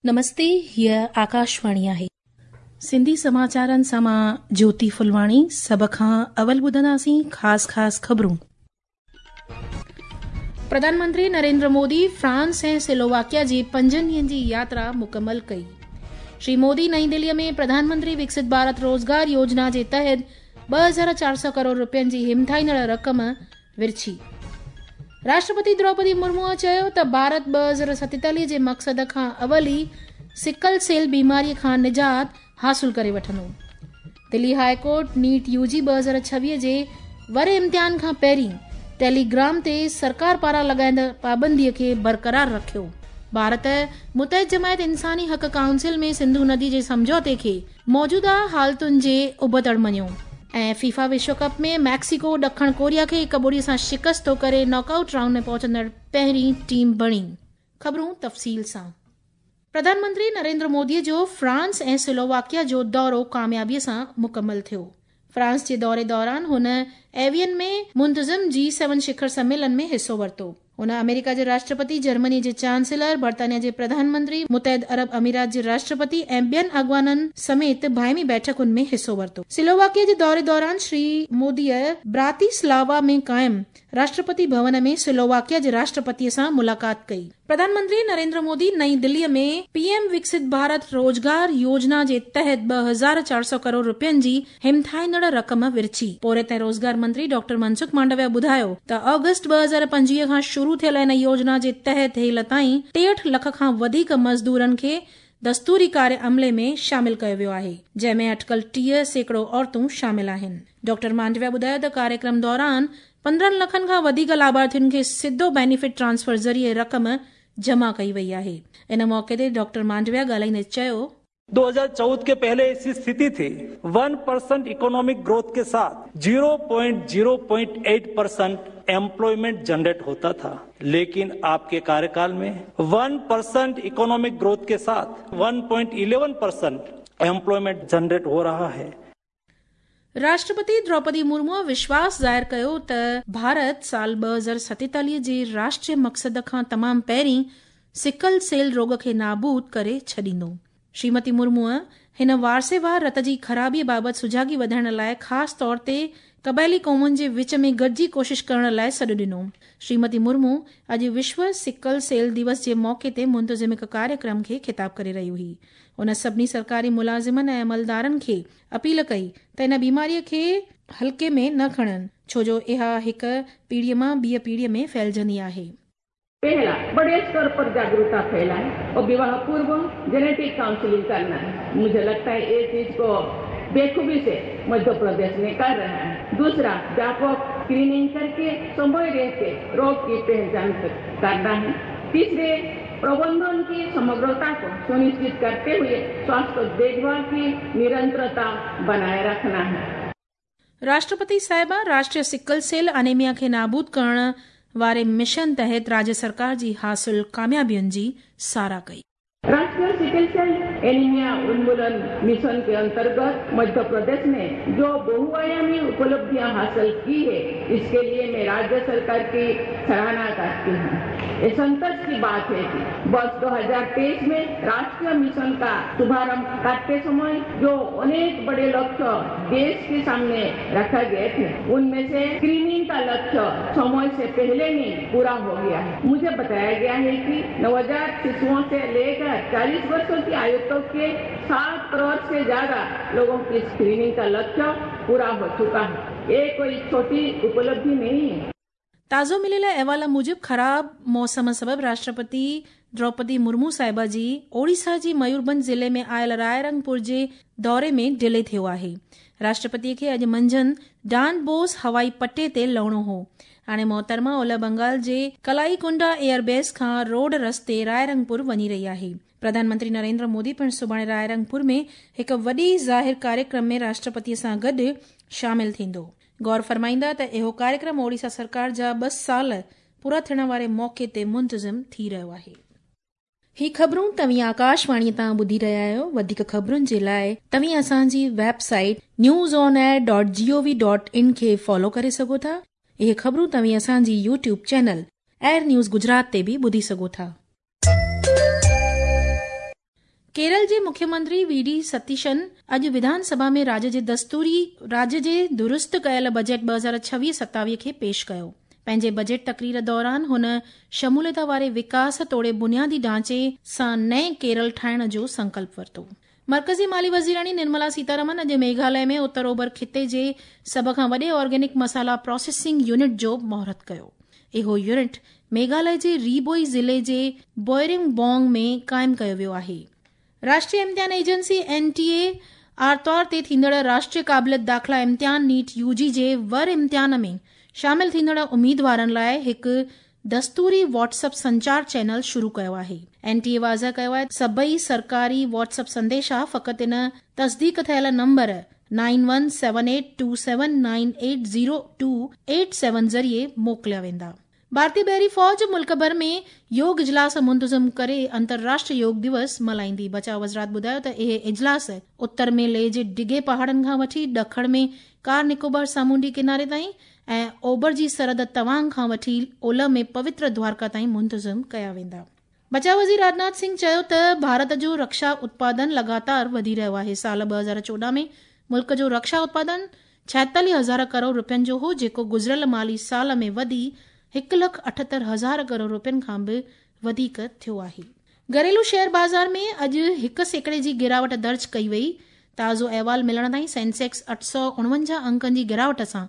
نمستي هيء آڪاشواڻي آهي. سنڌي سماچارن سان مان جوتي ڦلواڻي سڀ کان اول ٻڌنداسين خاص خاص خبرون. پرڌان منتري نريندر مودي فرانس ۽ سلوواڪيا جي پنجن ڏينهن جي ياترا مڪمل ڪئي. شري مودي نئين دهلي ۾ پرڌان منتري وڪست ڀارت روزگار يوجنا جي تحت 2400 ڪروڙ رپين جي همٿائيندڙ رقم ورڇي. راشٽرپتي دروپدي مرموء چيو ته ڀارت 2047 جي مقصد کان اول ئي سڪل سيل بيماري کان نجات حاصل ڪري وٺندو. Delhi high court NEET U G 2026 جي ور امتحان کان پهرين ٽيليگرام تي سرڪار پاران لڳائيندڙ پابندي کي برقرار رکيو. ڀارت متحد جماعت انساني حق ڪائونسل ۾ سنڌو ندي جي سمجهوتي کي موجوده حالتن جي ابتڙ مڃيو. ۽ فيفا وشو ڪپ ۾ ميڪسيڪو ڏکڻ ڪوريا کي 1-0 سان شڪست ٿو ڪري ناڪ آئوٽ رائونڊ ۾ پهچندڙ پهرين ٽيم بڻي. خبرون تفصيل سان. پرڌان منتري نريندر مودي جو فرانس ۽ سلوواڪيا جو دورو ڪاميابي سان مڪمل ٿيو. فرانس جي دوري دوران هن ايوين ۾ منتظم جي سيون شکر سميلن ۾ حصو ورتو. هن آمريڪا جي راشٽرپتي، جرمني جي چانسلر، برطانيا جي پرڌان منتري، متحد عرب امارات جي راشٽرپتي ۽ ٻين اڳواڻن سميت باهمي بيٺڪن ۾ حصو ورتو. سلوواڪيا جي دوري دوران شري موديء براتيسلاوا ۾ قائم راشٽرپتي ڀون ۾ سلوواڪيا جي راشٽرپتي سان ملاقات ڪئي. پرڌان منتري نريندر مودي نئين دهلي ۾ پي ايم وڪست ڀارت روزگار يوجنا جي تحت 2400 ڪروڙ رپين جي همٿائيندڙ رقم ورڇي. پورهيت ۽ روزگار منتري ڊاڪٽر منسک مانڊويا ٻڌايو ته آگسٽ 2025 کان شروع ٿيل ان يوجنا جي تحت هيل تائين 63 لک کان وڌيڪ مزدورن کي دستوري ڪاري عملي ۾ شامل ڪيو ويو آهي، جنهن ۾ اٽڪل 30% عورتون شامل آهن. ڊاڪٽر مانڊويا ٻڌايو ته ڪاريڪرم دوران 15 لکن کان وڌيڪ لاڀارٿين کي سڌو بينيفٽ ٽرانسفر ذريعي رقم جمع ڪئي وئي آهي. ان موقعي تي ڊاڪٽر مانڊويا ڳالهائيندي چيو. 2014 के पहले ऐसी स्थिति थी 1% इकोनॉमिक ग्रोथ के साथ 0.0.8% एम्प्लॉयमेंट जनरेट होता था, लेकिन आपके कार्यकाल में 1% इकोनॉमिक ग्रोथ के साथ 1.11% एम्प्लॉयमेंट जनरेट हो रहा है. راشٽرپتي دروپدي مرموء وشواس ظاهر ڪيو ته ڀارت سال 2047 جي راشٽريه مقصد کان تمام پهرين سڪل سيل روڳ کي نابود ڪري ڇڏيندو. شريمتي مرموء هن وارثيوار رت جي خرابي بابت سجاڳي وڌائڻ لاء خاص طور تي قبائلي قومن جي وچ ۾ گڏجي ڪوشش ڪرڻ لاء سڏ ڏنو. شريمتي مرمو اڄ وشو سڪل سيل دوس جي موقعي تي منتظم هڪ ڪاريڪرم کي خطاب ڪري رهي هئي. هن سڀني سرڪاري ملازمن ۽ عملدارن کي اپيل ڪئي ته ان بيماري کي هلڪي ۾ نه کڻن، ڇو جو اها هڪ پيڙهي مان ٻيء پيڙهي ۾ ڦهلجندي آهي. पहला बड़े स्तर पर जागरूकता फैलाए और विवाह पूर्व जेनेटिक काउंसलिंग करना है। मुझे लगता है ये चीज को बेखूबी से मध्य प्रदेश में कर रहा है। दूसरा, व्यापक स्क्रीनिंग करके समय रहते रोग की पहचान करना है। तीसरे, प्रबंधन की समग्रता को सुनिश्चित करते हुए स्वास्थ्य देखभाल की निरंतरता बनाए रखना है। راشٽرپتي صاحبه راشٽريه سڪل سيل انيميا کي نابود ڪرڻ واري مشن تحت راجيه سرڪار جي حاصل ڪاميابين جي ساراهه ڪئي. राष्ट्रीय सिकल सेल एनीमिया उन्मूलन मिशन के अंतर्गत मध्य प्रदेश ने जो बहुआयामी उपलब्धियां हासिल की है, इसके लिए मैं राज्य सरकार की सराहना करती हूँ। ये संतोष की बात है कि वर्ष 2023 में राष्ट्रीय मिशन का शुभारंभ करते समय जो अनेक बड़े लक्ष्य देश के सामने रखा गए थे, उनमें से स्क्रीनिंग का लक्ष्य समय से पहले ही पूरा हो गया है। मुझे बताया गया है कि नवजात शिशुओं से लेकर 40 वर्षों की आयु तक के 7 करोड़ से ज्यादा लोगों की स्क्रीनिंग का लक्ष्य पूरा हो चुका है। ये कोई छोटी उपलब्धि नहीं है। ताज़ो मिलियल अहवाल मूजिबि ख़राब मौसम सबबि राष्ट्रपति द्रौपदी मुर्मू साहिबा जी ओडिशा जी मयूरभंज ज़िले में आयल रायरंगपुर जे दौरे में डिले थियो आहे। राष्ट्रपति खे अॼु मंझंदि डॉन बोस हवाई पट्टे ते लهڻو هو. हाणे मोहतरमा اولهه بنگال جي ڪلائيڪنڊا ايئربيس کان روڊ رستي رائرنگپور وڃي رهي آهي. پرڌان منتري نريندر مودي پڻ سڀاڻي رائرنگپور ۾ هڪ وڏي ظاهر ڪاريڪرم ۾ راشٽرپتي سان گڏ شامل ٿيندو. غور فرمائيندا ته اهو ڪاريڪرم اوڊيشا سرڪار جا 2 سال پورا ٿيڻ واري موقعي تي منتظم ٿي رهيو آهي. هي خبرون توهين آڪاشواڻي تان ٻڌي رهيا آهيو. وڌيڪ خبرن جي لاء توهين اسان جي website news on air dot G O V dot in کي فالو ڪري سگهو ٿا. اهي خبرون توهين اسان جي YouTube channel air news Gujarat تي به ٻڌي سگهو ٿا. ڪيرل جي مکيه منتري وي ڊي ستيشن اڄ وڌان سڀا ۾ راڄ جي دستوري راڄ جي درست ڪيل بجيٽ 2026 27 کي پيش ڪيو. پنهنجي بجيٽ تقرير دوران هن شموليت واري وڪاس توڙي بنيادي ڍانچي سان نئين ڪيرل ٺاهڻ جو سنڪلپ ورتو. مرڪزي مالي وزيراڻي نرملا سيتارمن اڄ ميگهاليه ۾ اتر اوڀر خطي جي سڀ کان وڏي آرگينڪ مصالحا پراسيسنگ يونٽ جو مهورت ڪيو. اهو يونٽ ميگهاليه جي ري بوئي ضلعي جي بوئرنگ بونگ ۾ قائم ڪيو ويو آهي. راشٽريه امتحان ايجنسي، اين ٽي اي، آرتوار تي ٿيندڙ راشٽريه قابليت داخلا امتحان نيٽ يو جي جي ور امتحان ۾ شامل ٿيندڙ اميدوارن لاء هڪ دستوري واٽس اپ سنچار چينل شروع ڪيو آهي. اين ٽي اي واضح ڪيو آهي ته سڀئي سرڪاري واٽس اپ سنديشا فقط ان تصديق ٿيل number nine one seven eight two seven nine eight zero two eight seven ذريعي موڪليا ويندا. ڀارتي بحري فوج ملڪ ڀر ۾ يوگ اجلاس منتظم ڪري انترراشٽريه يوگ دوس ملهائيندي. بچاء وزارت ٻڌايو ته اهي اجلاس اتر ۾ ليهه جي ڊگهي پهاڙن کان وٺي ڏکڻ ۾ ڪار نڪوبار سامونڊي ڪناري تائين ۽ اوڀر جي سرحد توانگ کان وٺي اولهه ۾ پوتر دوارڪا تائين منتظم ڪيا ويندا. بچاء وزير راجناٿ سنگهه چيو ته ڀارت جو رڪشا اتپادن لڳاتار وڌي رهيو آهي، سال 2014 ۾ ملڪ جو رڪشا اتپادن 46 هزار ڪروڙ رپين جو هو جيڪو گذريل مالي سال ۾ وڌي هڪ لک 78 هزار ڪروڙ رپين کان به وڌيڪ ٿيو آهي. گهريلو شيئر بازار ۾ اڄ 1% جي گراوٽ درج ڪئي وئي. تازو احوال ملڻ تائين سينسيڪس 849 انڪن جي گراوٽ سان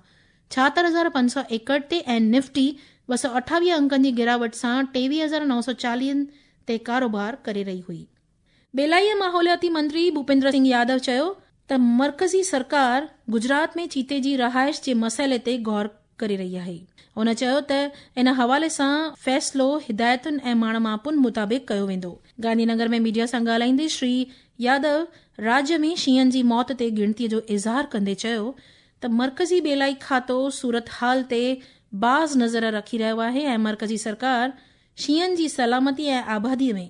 76561 تي ۽ نفٽي 228 انڪن جي گراوٽ سان 23940 تي ڪاروبار ڪري رهي هئي. ٻيلائي ۽ ماحولياتي منتري ڀوپيندر سنگهه يادو چيو ته مرڪزي سرڪار گجرات ۾ چيتي جي رهائش جي مسئلي تي غور ڪري رهي آهي. هن چيو ته ان حوالي سان فيصلو هدايتن ۽ ماڻ ماپن مطابق ڪيو ويندو. گانڌي نگر ۾ ميڊيا سان ڳالهائيندي شري يادو راجيه ۾ شينهن جي موت تي ڳڻتي جو اظهار ڪندي چيو ته مرڪزي ٻيلائي کاتو صورتحال تي باز نظر رکي رهيو آهي ۽ مرڪزي سرڪار شينهن جي سلامتي ۽ آبادي ۾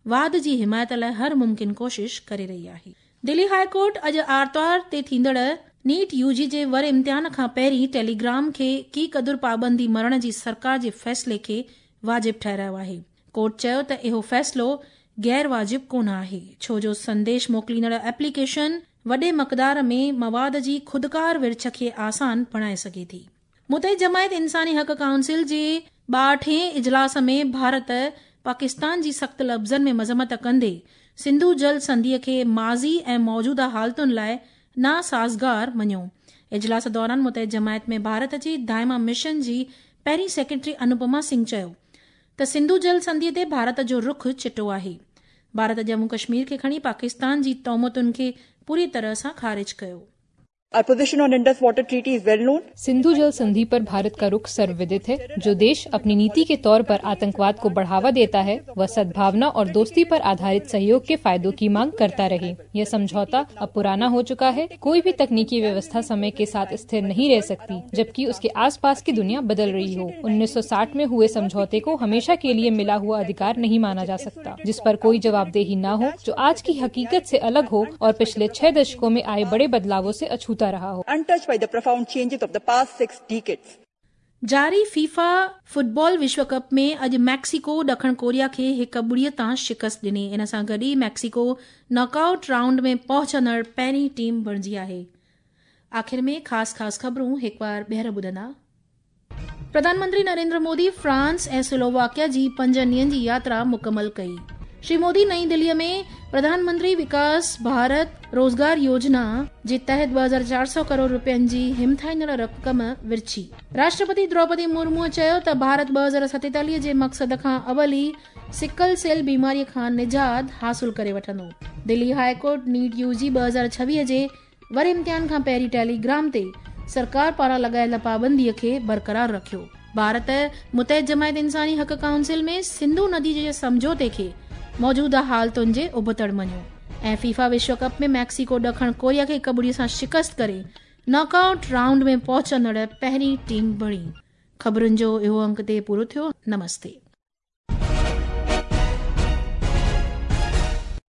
واڌ جي حمايت لاء هر ممڪن ڪوشش ڪري رهي آهي. دلي هاء ڪورٽ اڄ آرتوار تي ٿيندڙ نيٽ يو جي جي ور امتحان کان پهرين ٽيليگرام کي ڪي قدر پابندي مڙهڻ جي سرڪار جي فيصلي کي واجب ٺهرايو آهي. ڪورٽ چيو ته اهو فيصلو غير واجب ڪونه آهي ڇو جو سنديش موڪليندڙ ايپليڪيشن وڏي مقدار ۾ مواد جي خودڪار ورڇ کي آسان بڻائي سگهي ٿي. متحد جماعت انساني حق ڪائونسل جي ٻاهٺين اجلاس ۾ ڀارت پاڪستان جي سخت لفظن ۾ مذمت ڪندي سنڌو جل سنڌي کي ماضي ۽ موجوده حالتن لاء ناسازگار مڃيو. اجلاس دوران متحد جماعت ۾ ڀارت جي دائما مشن جي پهرين سيڪريٽري انوپما سنگهه چيو ته سنڌو جل سنڌي تي ڀارت جو رخ چٽو آهي. ڀارت ڄمون ڪشمير کي کڻي پاڪستان جي تهمتن کي پوري طرح سان خارج ڪيو. Our position on Indus Water Treaty is well known. Sindhu जल संधि पर भारत का रुख सर्वविदित है। जो देश अपनी नीति के तौर पर आतंकवाद को बढ़ावा देता है वह सद्भावना और दोस्ती पर आधारित सहयोग के फायदों की मांग करता रहे। यह समझौता अब पुराना हो चुका है। कोई भी तकनीकी व्यवस्था समय के साथ स्थिर नहीं रह सकती, जबकि उसके आसपास की दुनिया बदल रही हो। 1960 में हुए समझौते को हमेशा के लिए मिला हुआ अधिकार नहीं माना जा सकता, जिस पर कोई जवाबदेही न हो, जो आज की हकीकत से अलग हो और पिछले 6 दशकों में आए बड़े बदलावों से अछूता रहा हो। Untouched by the profound changes of the past 6 decades. जारी फीफा फुटबॉल विश्व कप में अॼु मैक्सिको ॾखण कोरिया खे 1-0 तां शिकस्त ॾिनी। इन सां गॾु ई मैक्सिको नॉकआउट राउंड में पहुचंदड़ पहिरीं टीम बणिजी आहे। आख़िर में ख़ासि ख़ासि ख़बरूं हिकु बार ॿीहर ॿुधंदा। प्रधानमंत्री नरेंद्र मोदी फ्रांस ऐं स्लोवाकिया जी 5 ॾींहनि जी यात्रा मुकमल कई। श्री मोदी नई दिल्लीअ में प्रधानमंत्री विकास भारत रोज़गार योजना जे तहत 2400 करोड़ रुपयनि जी हिमथाईंदड़ रक़म विर्छी। राष्ट्रपति द्रौपदी मुर्मूअ चयो त भारत 2047 जे मक़सद खां अवल ई सिकल सेल बीमारीअ खां निजात हासिल करे वठंदो। Delhi high court NEET UG 2026 जे वर इम्तिहान खां पहिरीं टेलीग्राम ते सरकार पारां लॻायल पाबंदीअ खे बरक़रार रखियो। भारत मुतहद जमायत इंसानी हक़ काउंसिल में सिंधु नदी जे समझौते खे मौजूदा हालतुनि जे उबतड़ मञियो। ऐं फीफा विश्व कप में मैक्सिको ॾखण कोरिया खे 1-0 सां शिकस्त करे नॉकआउट राउंड में पहुचंदड़ पहिरीं टीम बणी। ख़बरुनि जो इहो अंक ते पूरो थियो। नमस्ते।